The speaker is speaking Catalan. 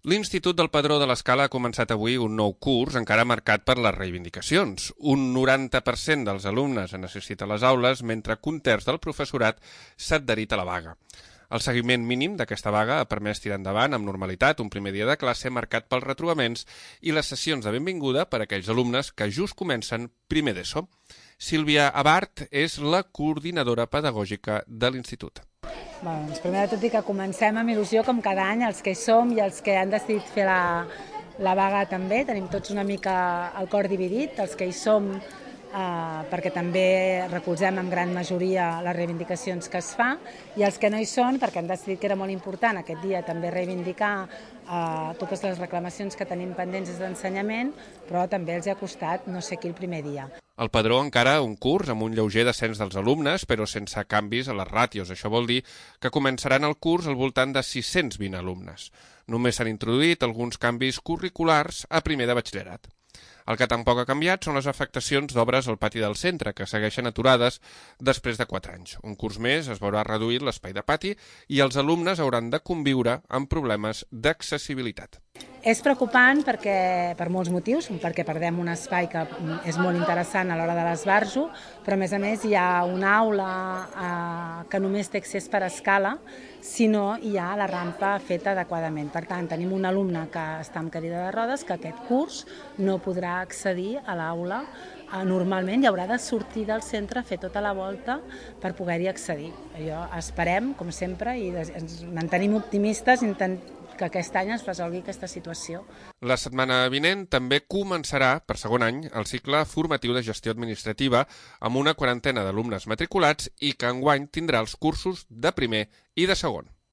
L'Institut del Padró de l'Escala ha començat avui un nou curs encara marcat per les reivindicacions. Un 90% dels alumnes han assistit a les aules, mentre que un terç del professorat s'ha adherit a la vaga. El seguiment mínim d'aquesta vaga ha permès tirar endavant amb normalitat un primer dia de classe marcat pels retrobaments i les sessions de benvinguda per a aquells alumnes que just comencen primer d'ESO. Sílvia Abart és la coordinadora pedagògica de l'Institut. Doncs primer de tot dir que comencem amb il·lusió com cada any, els que hi som i els que han decidit fer la vaga també. Tenim tots una mica el cor dividit, els que hi som perquè també recolzem en gran majoria les reivindicacions que es fa, i els que no hi són perquè han decidit que era molt important aquest dia també reivindicar totes les reclamacions que tenim pendents des d'ensenyament, però també els ha costat no sé qui el primer dia. El Padró encara un curs amb un lleuger descens dels alumnes, però sense canvis a les ràtios. Això vol dir que començaran el curs al voltant de 620 alumnes. Només s'han introduït alguns canvis curriculars a primer de batxillerat. El que tampoc ha canviat són les afectacions d'obres al pati del centre, que segueixen aturades després de 4 anys. Un curs més es veurà reduït l'espai de pati i els alumnes hauran de conviure amb problemes d'accessibilitat. És preocupant per molts motius, perquè perdem un espai que és molt interessant a l'hora de l'esbarjo, però a més hi ha una aula que només té accés per escala, si no hi ha la rampa feta adequadament. Per tant, tenim un alumne que està amb cadira de rodes que aquest curs no podrà accedir a l'aula normalment i haurà de sortir del centre a fer tota la volta per poder-hi accedir. Esperem, com sempre, i ens mantenim optimistes que aquest any es resolgui aquesta situació. La setmana vinent també començarà, per segon any, el cicle formatiu de gestió administrativa amb una quarantena d'alumnes matriculats i que enguany tindrà els cursos de primer i de segon.